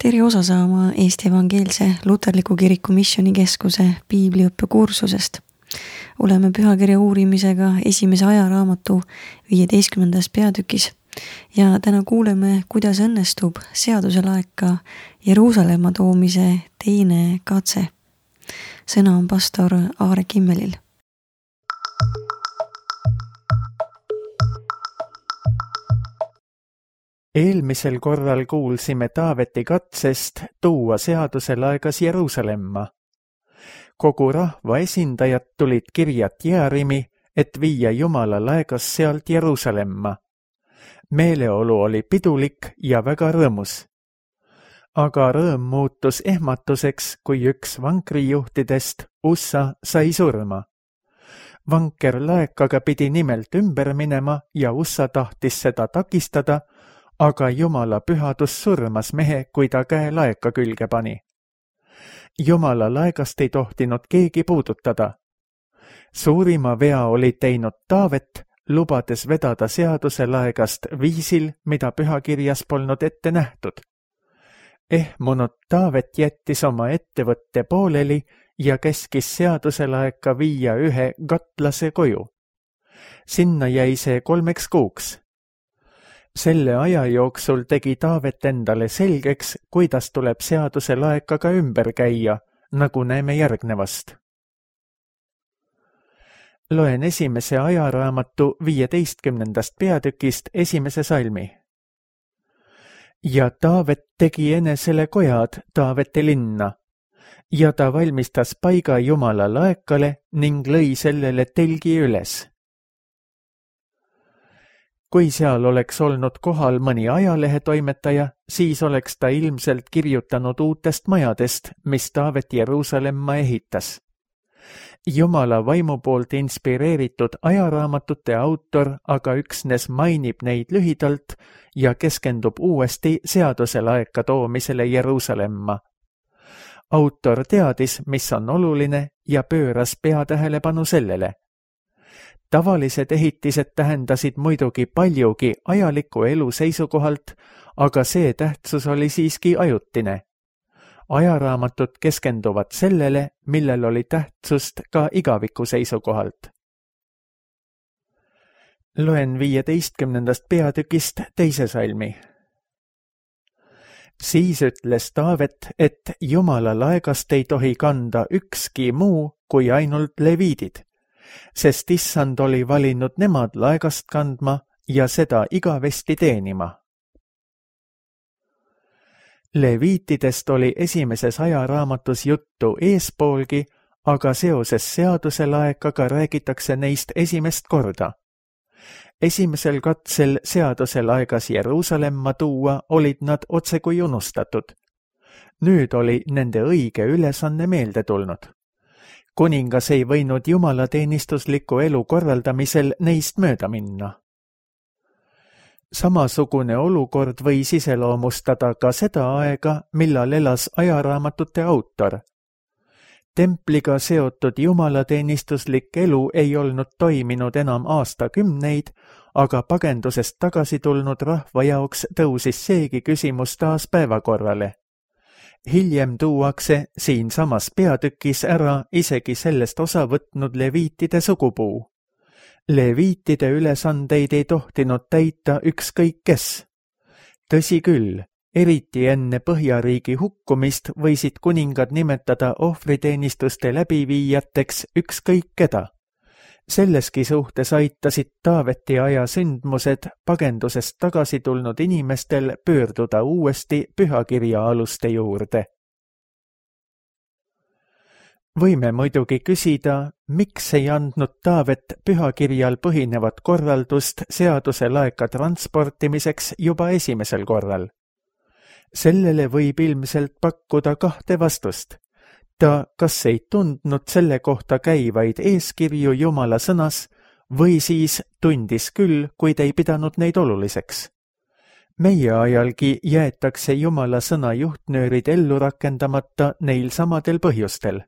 Tere osa saama Eesti Evangeelse Luterliku Kiriku Missioonikeskuse piibliõppekursusest. Oleme pühakirja uurimisega esimese ajaraamatu 15. peatükis ja täna kuuleme, kuidas õnnestub seaduselaeka Jeruusalemma toomise teine katse. Sõna on pastor Aare Kimmelil. Eelmisel korral kuulsime Taaveti katsest tuua seaduselaegas Jeruusalemma. Kogu rahva esindajad tulid kirjat Jäärimi, et viia Jumala laegas sealt Jeruusalemma. Meeleolu oli pidulik ja väga rõõmus. Aga rõõm muutus ehmatuseks, kui üks vankrijuhtidest, Ussa, sai surma. Vanker laekaga pidi nimelt ümber minema ja Ussa tahtis seda takistada, aga Jumala pühadus surmas mehe, kui ta käe laeka külge pani. Jumala laegast ei tohtinud keegi puudutada. Suurima vea oli teinud Taavet, lubades vedada seaduselaegast viisil, mida pühakirjas polnud ette nähtud. Ehmunud Taavet jättis oma ettevõtte pooleli ja käskis seaduselaeka viia ühe gatlase koju. Sinna jäi see 3 kuuks. Selle aja jooksul tegi Taavet endale selgeks, kuidas tuleb seaduselaekaga ümber käia, nagu näeme järgnevast. Loen esimese ajaraamatu 15. peatükist 1. salmi. Ja Taavet tegi enesele kojad Taavete linna, ja ta valmistas paiga Jumala laekale ning lõi sellele telgi üles. Kui seal oleks olnud kohal mõni ajalehetoimetaja, siis oleks ta ilmselt kirjutanud uutest majadest, mis Taavet Jeruusalemma ehitas. Jumala vaimu poolt inspireeritud ajaraamatute autor aga üksnes mainib neid lühidalt ja keskendub uuesti seaduselaeka toomisele Jeruusalemma. Autor teadis, mis on oluline ja pööras peatähelepanu sellele. Tavalised ehitised tähendasid muidugi paljugi ajaliku elu seisukohalt, aga see tähtsus oli siiski ajutine. Ajaraamatud keskenduvad sellele, millel oli tähtsust ka igaviku seisukohalt. Loen 15. peatükist 2. salmi. Siis ütles Taavet, et Jumala laegast ei tohi kanda ükski muu kui ainult leviidid, sest Issand oli valinud nemad laegast kandma ja seda igavesti teenima. Leviitidest oli esimeses ajaraamatus juttu eespoolgi, aga seoses seaduselaekaga räägitakse neist esimest korda. Esimesel katsel seaduselaegas Jeruusalemma tuua olid nad otsekui unustatud. Nüüd oli nende õige ülesanne meelde tulnud. Kuningas ei võinud jumalateenistusliku elu korraldamisel neist mööda minna. Samasugune olukord võis iseloomustada ka seda aega, millal elas ajaraamatute autor. Templiga seotud jumalateenistuslik elu ei olnud toiminud enam aastakümneid, aga pagendusest tagasi tulnud rahva jaoks tõusis seegi küsimus taas päevakorrale. Hiljem tuuakse siinsamas peatükis ära isegi sellest osa võtnud leviitide sugupuu. Leviitide ülesandeid ei tohtinud täita ükskõik kes. Tõsi küll, eriti enne Põhjariigi hukkumist võisid kuningad nimetada ohvriteenistuste läbiviijateks ükskõik keda. Selleski suhtes aitasid Taaveti aja sündmused pagendusest tagasi tulnud inimestel pöörduda uuesti pühakirja aluste juurde. Võime muidugi küsida, miks ei andnud Taavet pühakirjal põhinevat korraldust seaduselaeka transportimiseks juba esimesel korral. Sellele võib ilmselt pakkuda 2 vastust. Ta kas ei tundnud selle kohta käivaid eeskirju Jumala sõnas või siis tundis küll, kuid ei pidanud neid oluliseks. Meie ajalgi jäetakse Jumala sõna juhtnöörid ellu rakendamata neil samadel põhjustel.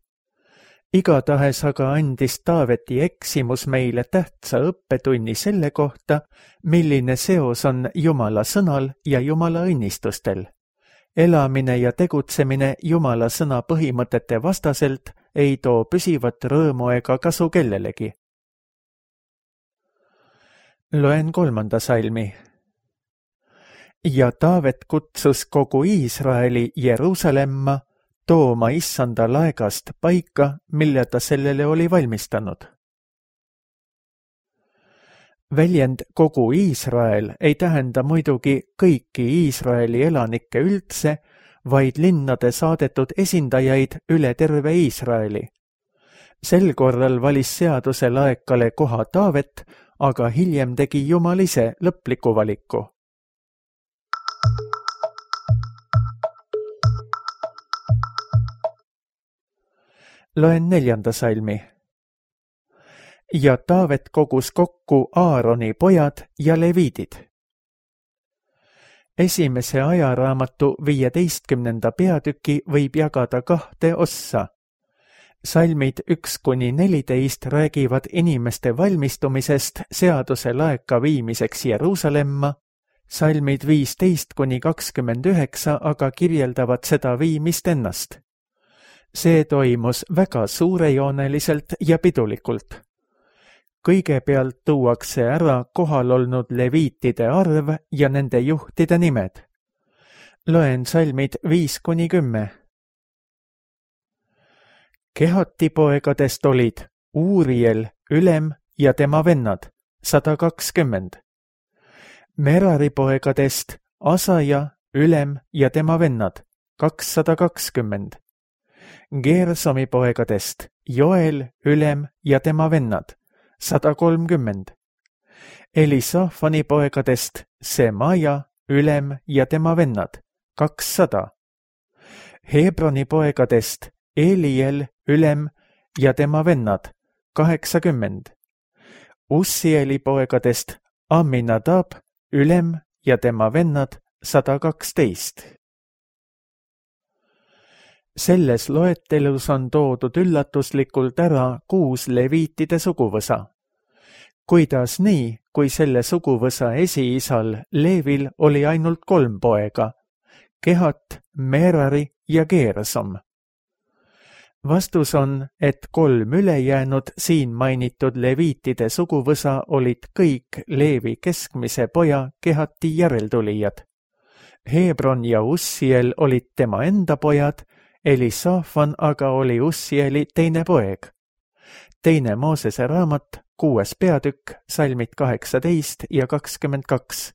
Igatahes aga andis Taaveti eksimus meile tähtsa õppetunni selle kohta, milline seos on Jumala sõnal ja Jumala õnnistustel. elamine ja tegutsemine Jumala sõna põhimõtete vastaselt ei too püsivat rõõmu ega kasu kellelegi. Loen 3. salmi. Ja Taavet kutsus kogu Iisraeli Jeruusalemma tooma issanda laegast paika, mille ta sellele oli valmistanud. Väljend kogu Iisrael ei tähenda muidugi kõiki Iisraeli elanikke üldse, vaid linnade saadetud esindajaid üle terve Iisraeli. Sel korral valis seaduse laekale koha Taavet, aga hiljem tegi Jumal ise lõpliku valiku. Loen 4. salmi. Ja Taavet kogus kokku Aaroni pojad ja leviidid. Esimese ajaraamatu 15. peatüki võib jagada 2 ossa. Salmid 1-14 räägivad inimeste valmistumisest seaduse laeka viimiseks Jeruusalemma, salmid 15-29 aga kirjeldavad seda viimist ennast. See toimus väga suurejooneliselt ja pidulikult. Kõigepealt tuuakse ära kohal olnud leviitide arv ja nende juhtide nimed. Loen salmid 5-10. Kehati poegadest olid Uuriel, ülem ja tema vennad 120. Merari poegadest Asaja, ülem ja tema vennad 220. Geersomi poegadest Joel, ülem ja tema vennad 130. Elisafani poegadest Semaja, ülem ja tema vennad 200. Hebroni poegadest Eliel, ülem ja tema vennad 80. Ussieli poegadest Aminadab, ülem ja tema vennad 112. Selles loetelus on toodud üllatuslikult ära 6 leviitide suguvõsa. Kuidas nii, kui selle suguvõsa esiisal Leevil oli ainult 3 poega, Kehat, Merari ja Geersom? Vastus on, et 3 ülejäänud siin mainitud leviitide suguvõsa olid kõik Leevi keskmise poja Kehati järeltulijad. Hebron ja Ussiel olid tema enda pojad, Elisafan aga oli Ussieli teine poeg. 2. Moosese raamat, 6. peatükk, salmid 18 ja 22.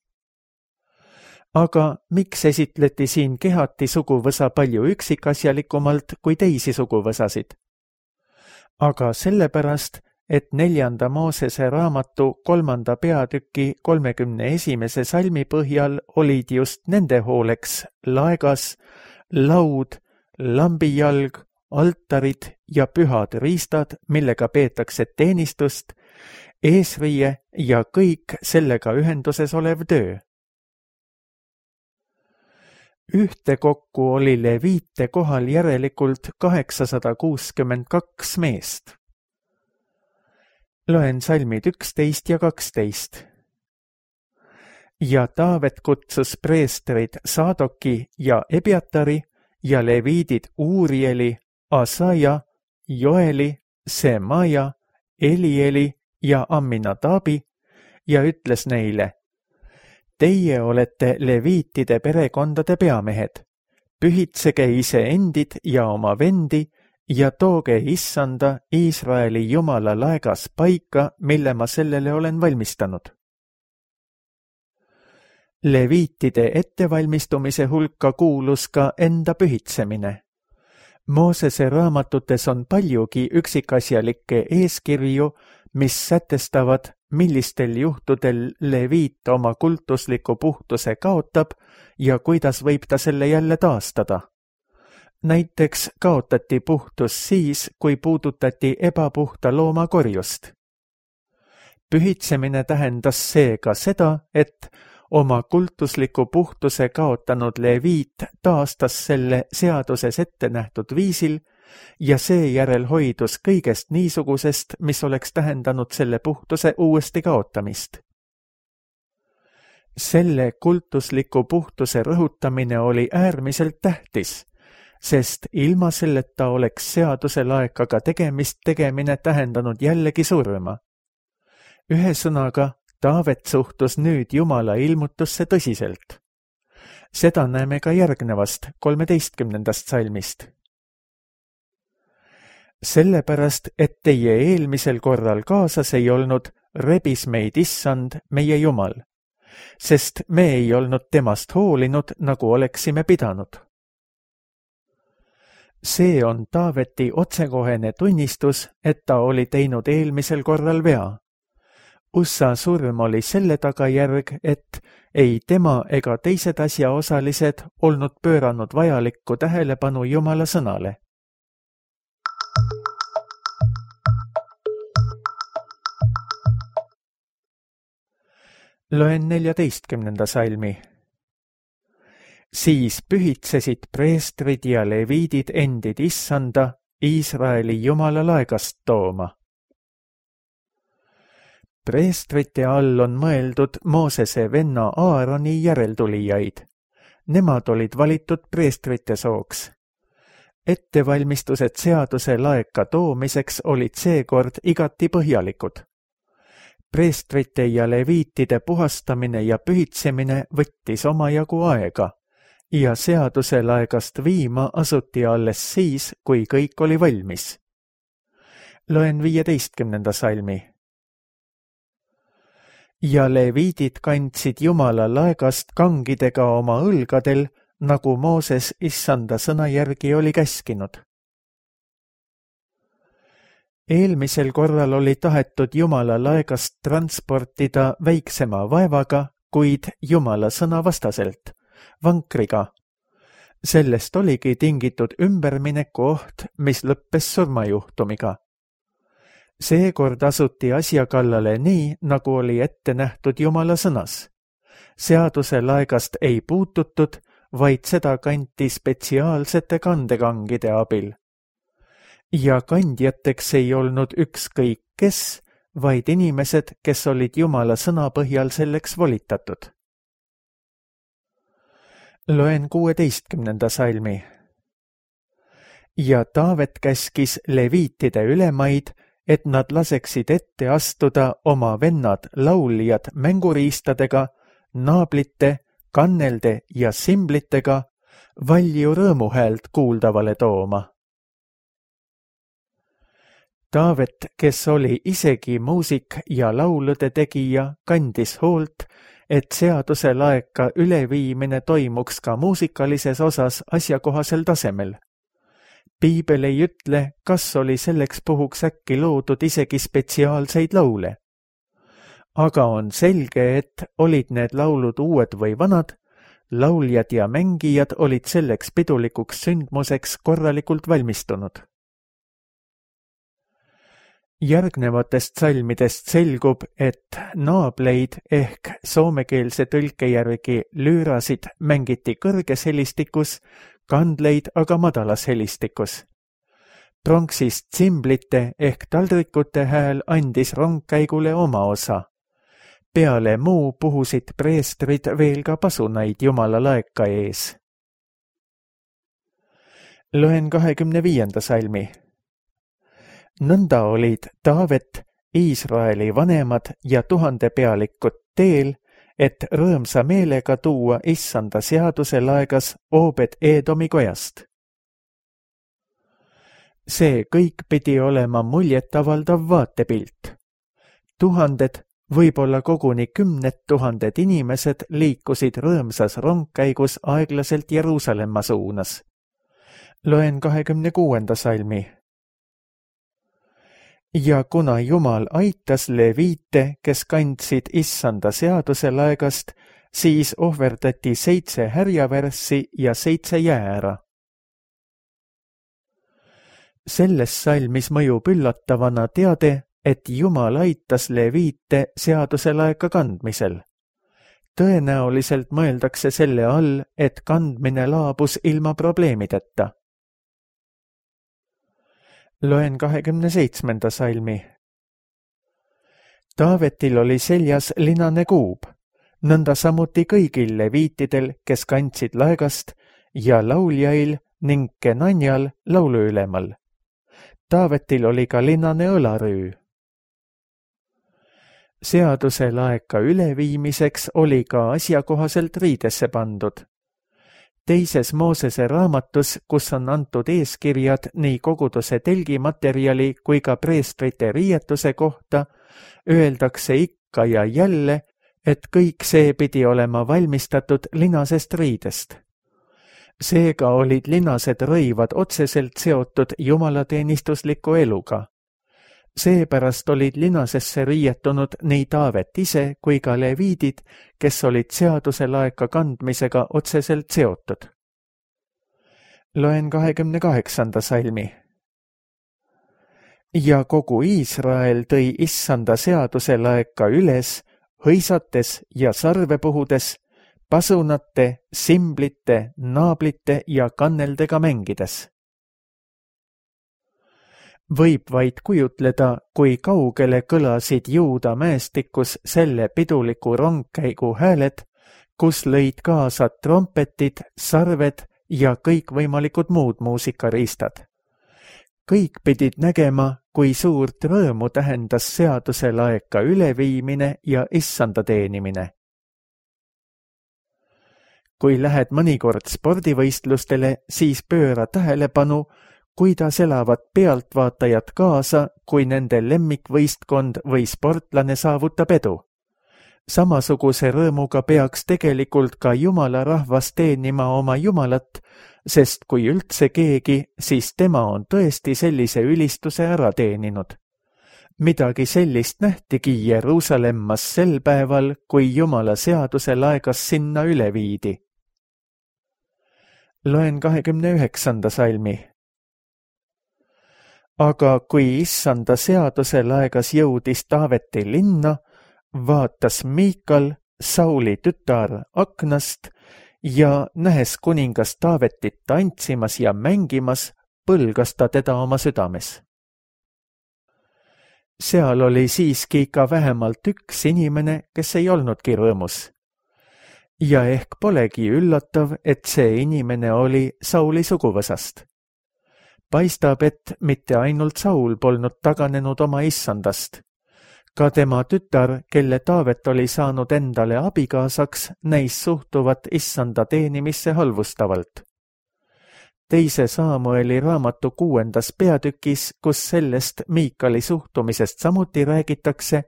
Aga miks esitleti siin Kehati suguvõsa palju üksikasjalikumalt kui teisi suguvõsasid? Aga sellepärast, et 4. Moosese raamatu 3. peatüki 31. salmi põhjal olid just nende hooleks laegas, laud, lambijalg, altarid ja pühad riistad, millega peetakse teenistust, eesriie ja kõik sellega ühenduses olev töö. Ühtekokku oli leviite kohal järelikult 862 meest. Loen salmid 11 ja 12. Ja Taavet kutsus preestrid Saadoki ja Ebiatari ja leviidid Uurieli, Asaja, Joeli, Semaja, Elieli ja Aminadabi ja ütles neile: Teie olete leviitide perekondade peamehed. Pühitsege iseendid ja oma vendi ja tooge issanda Iisraeli Jumala laegas paika, mille ma sellele olen valmistanud. Leviitide ettevalmistumise hulka kuulus ka enda pühitsemine. Moosese raamatutes on paljugi üksikasjalikke eeskirju, mis sätestavad, millistel juhtudel leviit oma kultusliku puhtuse kaotab ja kuidas võib ta selle jälle taastada. Näiteks kaotati puhtus siis, kui puudutati ebapuhta looma korjust. Pühitsemine tähendas seega seda, et oma kultusliku puhtuse kaotanud leviit taastas selle seaduses ette nähtud viisil ja seejärel hoidus kõigest niisugusest, mis oleks tähendanud selle puhtuse uuesti kaotamist. Selle kultusliku puhtuse rõhutamine oli äärmiselt tähtis, sest ilma selleta oleks seaduse laekaga tegemine tähendanud jällegi surma. Ühesõnaga, Taavet suhtus nüüd Jumala ilmutusse tõsiselt. Seda näeme ka järgnevast 13. salmist. Sellepärast, et teie eelmisel korral kaasas ei olnud, rebis meid Issand, meie Jumal, sest me ei olnud temast hoolinud, nagu oleksime pidanud. See on Taaveti otsekohene tunnistus, et ta oli teinud eelmisel korral vea. Ussa surm oli selle tagajärg, et ei tema ega teised asjaosalised olnud pööranud vajalikku tähelepanu Jumala sõnale. Loen 14. salmi. Siis pühitsesid preestrid ja leviidid endid Issanda, Iisraeli Jumala laegast tooma. Preestrite all on mõeldud Moosese venna Aaroni järeltulijaid. Nemad olid valitud preestrite sooks. Ettevalmistused seaduse laeka toomiseks olid seekord igati põhjalikud. Preestrite ja leviitide puhastamine ja pühitsemine võttis omajagu aega ja seaduse laegast viima asuti alles siis, kui kõik oli valmis. Loen 15. salmi. Ja leviidid kandsid Jumala laegast kangidega oma õlgadel, nagu Mooses Issanda sõna järgi oli käskinud. Eelmisel korral oli tahetud Jumala laegast transportida väiksema vaevaga, kuid Jumala sõna vastaselt, vankriga. Sellest oligi tingitud ümbermineku oht, mis lõppes surmajuhtumiga. Seekord asuti asja kallale nii, nagu oli ette nähtud Jumala sõnas. Seaduse laegast ei puututud, vaid seda kanti spetsiaalsete kandekangide abil. Ja kandjateks ei olnud ükskõik kes, vaid inimesed, kes olid Jumala sõna põhjal selleks volitatud. Loen 16. salmi. Ja Taavet käskis leviitide ülemaid, et nad laseksid ette astuda oma vennad lauljad mänguriistadega, naablite, kannelde ja simblitega valju rõõmuhäält kuuldavale tooma. Taavet, kes oli isegi muusik ja laulude tegija, kandis hoolt, et seaduse laeka üleviimine toimuks ka muusikalises osas asjakohasel tasemel. Piibel ei ütle, kas oli selleks puhuks äkki loodud isegi spetsiaalseid laule. Aga on selge, et olid need laulud uued või vanad, lauljad ja mängijad olid selleks pidulikuks sündmuseks korralikult valmistunud. Järgnevatest salmidest selgub, et naableid ehk soomekeelse tõlke järgi lüürasid mängiti kõrges helistikus, kandleid aga madalas helistikus. Pronksist tsimblite ehk taldrikute hääl andis rongkäigule oma osa. Peale muu puhusid preestrid veel ka pasunaid Jumala laeka ees. Loen 25. salmi. Nõnda olid Taavet, Iisraeli vanemad ja 1000 pealikud teel, et rõõmsa meelega tuua Issanda seaduse laegas Oobed Eedomi kojast. See kõik pidi olema muljetavaldav vaatepilt. 1000, võib-olla koguni 10 000 inimesed liikusid rõõmsas rongkäigus aeglaselt Jeruusalemma suunas. Loen 26. salmi. Ja kuna Jumal aitas leviite, kes kandsid Issanda seaduse laegast, siis ohverdati 7 härjavärssi ja 7 jäära. Selles salmis mõjub üllatavana teade, et Jumal aitas leviite seaduse laeka kandmisel. Tõenäoliselt mõeldakse selle all, et kandmine laabus ilma probleemideta. Loen 27. salmi. Taavetil oli seljas linane kuub. nõnda samuti kõigil leviitidel, kes kandsid laegast, ja lauljail ning Kenanjal lauluülemal. Taavetil oli ka linnane õlarüü. Seaduse laeka üleviimiseks oli ka asjakohaselt riidesse pandud. Teises Moosese raamatus, kus on antud eeskirjad nii koguduse telgimaterjali kui ka preestrite riietuse kohta, öeldakse ikka ja jälle, et kõik see pidi olema valmistatud linasest riidest. Seega olid linased rõivad otseselt seotud jumalateenistusliku eluga. Seepärast olid linasesse riietunud nii Taavet ise kui ka leviidid, kes olid seaduse laeka kandmisega otseselt seotud. Loen 28. salmi. Ja kogu Iisrael tõi issanda seaduse laeka üles, hõisates ja sarve puhudes, pasunate, simblite, naablite ja kanneldega mängides. Võib vaid kujutleda, kui kaugele kõlasid Juuda mäestikus selle piduliku rongkäigu hääled, kus lõid kaasa trompetid, sarved ja kõikvõimalikud muud muusikariistad. Kõik pidid nägema, kui suurt rõõmu tähendas seaduse laeka üleviimine ja issanda teenimine. Kui lähed mõnikord spordivõistlustele, siis pööra tähelepanu, kuidas elavad pealtvaatajad kaasa, kui nende lemmikvõistkond või sportlane saavutab edu. Samasuguse rõõmuga peaks tegelikult ka Jumala rahvas teenima oma Jumalat, sest kui üldse keegi, siis tema on tõesti sellise ülistuse ära teeninud. Midagi sellist nähtigi Jeruusalemmas sel päeval, kui Jumala seaduse laegas sinna üle viidi. Loen 29. salmi. Aga kui issanda seaduse laegas jõudis Taaveti linna, vaatas Miikal, Sauli tütar, aknast ja nähes kuningas Taavetit tantsimas ja mängimas, põlgas ta teda oma südames. Seal oli siiski ka vähemalt üks inimene, kes ei olnudki rõõmus. Ja ehk polegi üllatav, et see inimene oli Sauli suguvõsast. Paistab, et mitte ainult Saul polnud taganenud oma issandast. Ka tema tütar, kelle Taavet oli saanud endale abikaasaks, näis suhtuvat issanda teenimisse halvustavalt. Teise Saamueli raamatu 6. peatükis, kus sellest Miikali suhtumisest samuti räägitakse,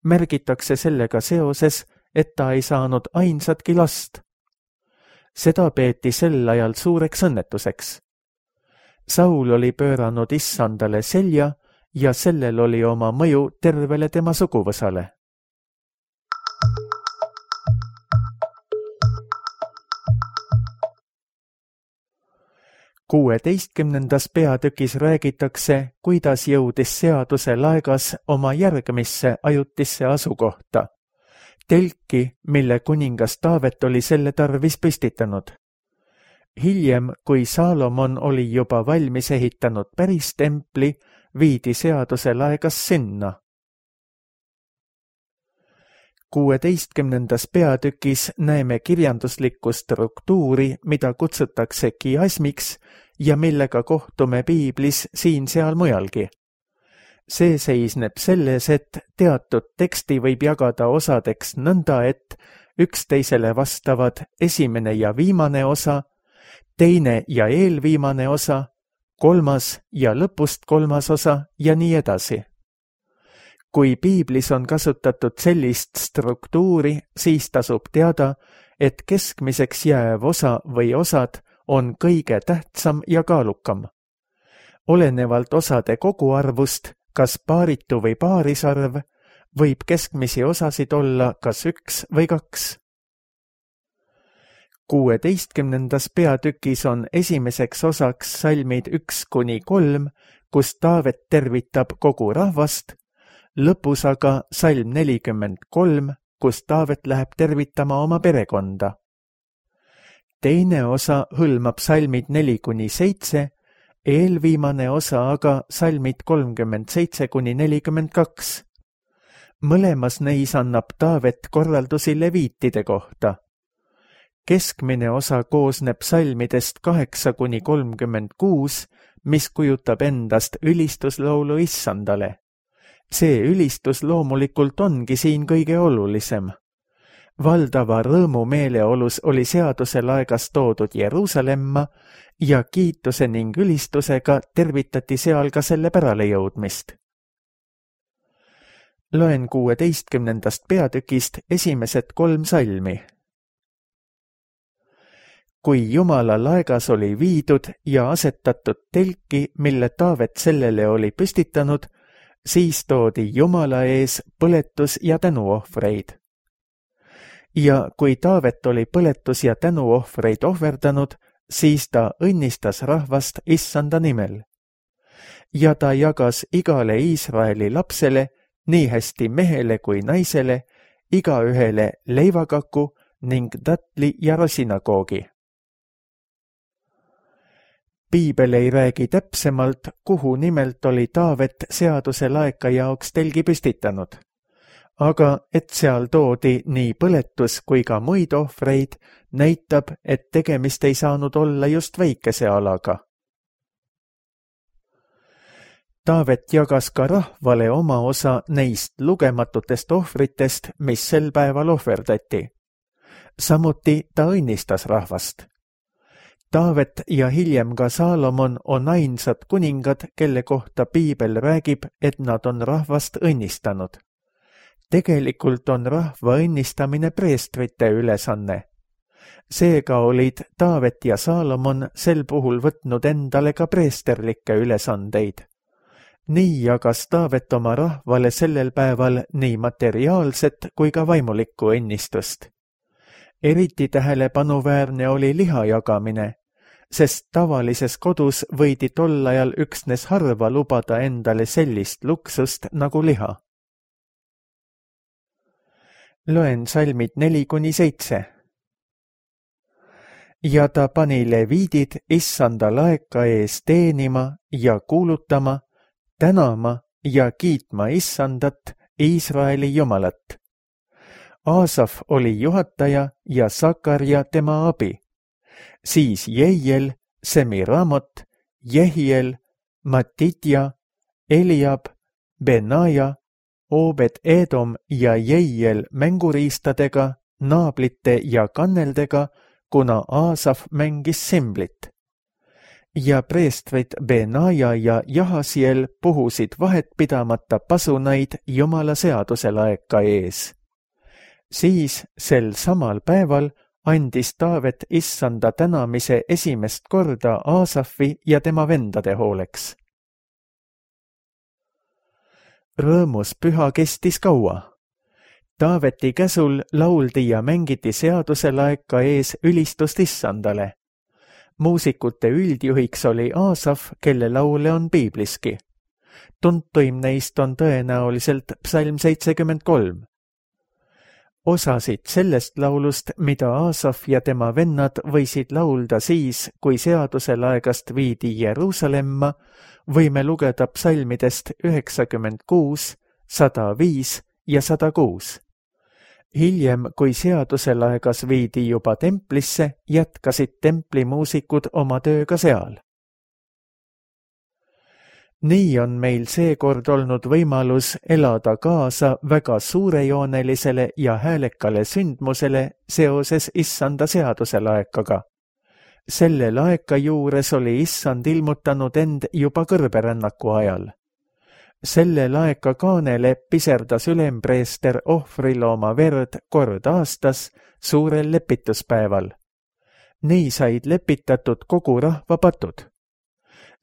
märgitakse sellega seoses, et ta ei saanud ainsatki last. Seda peeti sel ajal suureks õnnetuseks. Saul oli pööranud issandale selja ja sellel oli oma mõju tervele tema suguvõsale. Kuueteistkümnendas peatükis räägitakse, kuidas jõudis seaduse laegas oma järgmisse ajutisse asukohta, telki, mille kuningas Taavet oli selle tarvis püstitanud. Hiljem, kui Saalomon oli juba valmis ehitanud päris templi, viidi seaduse laegas sinna. 16. peatükis näeme kirjanduslikku struktuuri, mida kutsutakse kiasmiks ja millega kohtume piiblis siin-seal mujalgi. See seisneb selles, et teatud teksti võib jagada osadeks nõnda, et üksteisele vastavad esimene ja viimane osa, teine ja eelviimane osa, kolmas ja lõpust kolmas osa ja nii edasi. Kui piiblis on kasutatud sellist struktuuri, siis tasub teada, et keskmiseks jääv osa või osad on kõige tähtsam ja kaalukam. Olenevalt osade koguarvust, kas paaritu või paarisarv, võib keskmisi osasid olla kas 1 või 2. 16. peatükis on esimeseks osaks salmid 1-3, kus Taavet tervitab kogu rahvast, lõpus aga salm 43, kus Taavet läheb tervitama oma perekonda. Teine osa hõlmab salmid 4-7, eelviimane osa aga salmid 37-42. Mõlemas neis annab Taavet korraldusi leviitide kohta. Keskmine osa koosneb salmidest 8–36, mis kujutab endast ülistuslaulu Issandale. See ülistus loomulikult ongi siin kõige olulisem. Valdava rõõmu meeleolus oli seaduse laegas toodud Jeruusalemma ja kiituse ning ülistusega tervitati seal ka selle päralejõudmist. Loen 16. peatükist esimesed 3 salmi. Kui Jumala laegas oli viidud ja asetatud telki, mille Taavet sellele oli püstitanud, siis toodi Jumala ees põletus- ja tänuohvreid. Ja kui Taavet oli põletus- ja tänuohvreid ohverdanud, siis ta õnnistas rahvast Issanda nimel. Ja ta jagas igale Iisraeli lapsele, nii hästi mehele kui naisele, igaühele leivakaku ning tatli ja rosinakoogi. Piibel ei räägi täpsemalt, kuhu nimelt oli Taavet seaduse laeka jaoks telgi püstitanud. Aga et seal toodi nii põletus kui ka muid ohvreid, näitab, et tegemist ei saanud olla just väikese alaga. Taavet jagas ka rahvale oma osa neist lugematutest ohvritest, mis sel päeval ohverdati. Samuti ta õnnistas rahvast. Taavet ja hiljem ka Saalomon on ainsad kuningad, kelle kohta Piibel räägib, et nad on rahvast õnnistanud. Tegelikult on rahva õnnistamine preestrite ülesanne. Seega olid Taavet ja Saalomon sel puhul võtnud endale ka preesterlikke ülesandeid. Nii jagas Taavet oma rahvale sellel päeval nii materiaalset kui ka vaimulikku õnnistust. Eriti tähelepanuväärne oli liha jagamine, sest tavalises kodus võidi tol ajal üksnes harva lubada endale sellist luksust nagu liha. Loen salmid 4–7. Ja ta pani leviidid Issanda laeka ees teenima ja kuulutama, tänama ja kiitma Issandat, Iisraeli Jumalat. Aasaf oli juhataja ja Sakarja tema abi. Siis Jeiel, Semiramot, Jehiel, Matitja, Eliab, Benaja, Obed-Edom ja Jeiel mänguriistadega, naablite ja kanneldega, kuna Aasaf mängis simblit. Ja preestrid Benaja ja Jahasiel puhusid vahetpidamata pasunaid Jumala seaduse laeka ees. Siis sel samal päeval andis Taavet Issanda tänamise esimest korda Aasafi ja tema vendade hooleks. Rõõmus püha kestis kaua. Taaveti käsul lauldi ja mängiti seaduse laeka ees ülistust Issandale. Muusikute üldjuhiks oli Aasaf, kelle laule on piibliski. Tuntuim neist on tõenäoliselt psalm 73. Osasid sellest laulust, mida Aasaf ja tema vennad võisid laulda siis, kui seaduse laegast viidi Jeruusalemma, võime lugeda psalmidest 96, 105 ja 106. Hiljem, kui seaduse laegas viidi juba templisse, jätkasid templimuusikud oma tööga seal. Nii on meil seekord olnud võimalus elada kaasa väga suurejoonelisele ja häälekale sündmusele seoses Issanda seaduse laekaga. Selle laeka juures oli Issand ilmutanud end juba kõrberännaku ajal. Selle laeka kaanele piserdas ülempreester ohvrilooma verd kord aastas suurel lepituspäeval. Nii said lepitatud kogu rahva patud.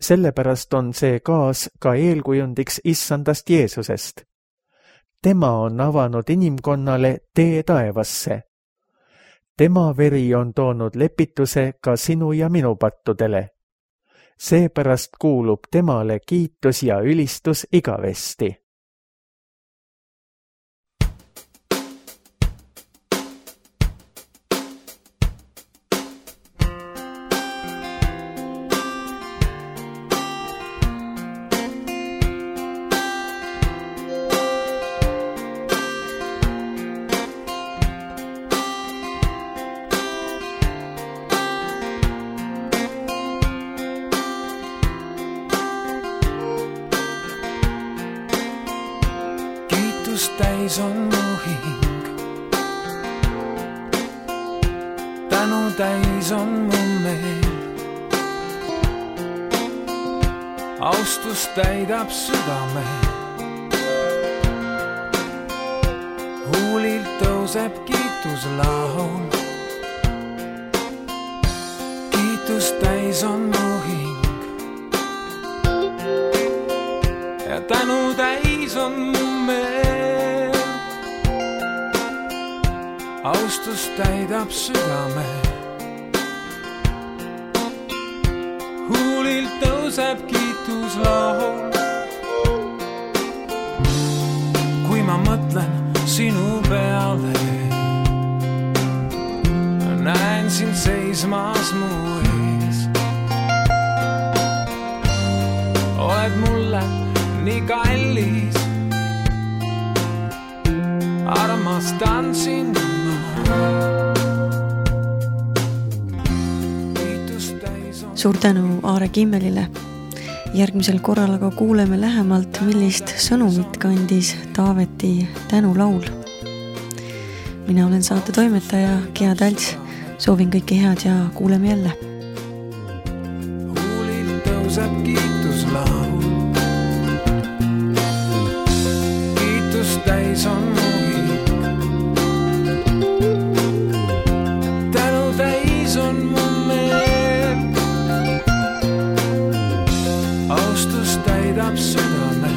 Sellepärast on see kaas ka eelkujundiks Issandast Jeesusest. Tema on avanud inimkonnale tee taevasse. Tema veri on toonud lepituse ka sinu ja minu pattudele. Seepärast kuulub temale kiitus ja ülistus igavesti. Austust täis on mu hing, tänu täis on mu meel. Austust täidab südame, huulilt tõuseb kiituslaul. Kiitust täis on mu hing ja tänu täis on mu meel. Austust täidab südame, huulilt tõuseb kiituslaul. Kui ma mõtlen sinu peale, näen sind seismas mu ees. Oled mulle nii kallis, armastan sind ma. Suur tänu Aare Kimmelile. Järgmisel korral aga kuuleme lähemalt, millist sõnumit kandis Taaveti tänulaul. Mina olen saate toimetaja Gea Talts. Soovin kõike head ja kuuleme jälle. Huulilt tõuseb kiituslaul. Kiitust täis on mu hing, tänu täis on mu meel. Austust täidab südame,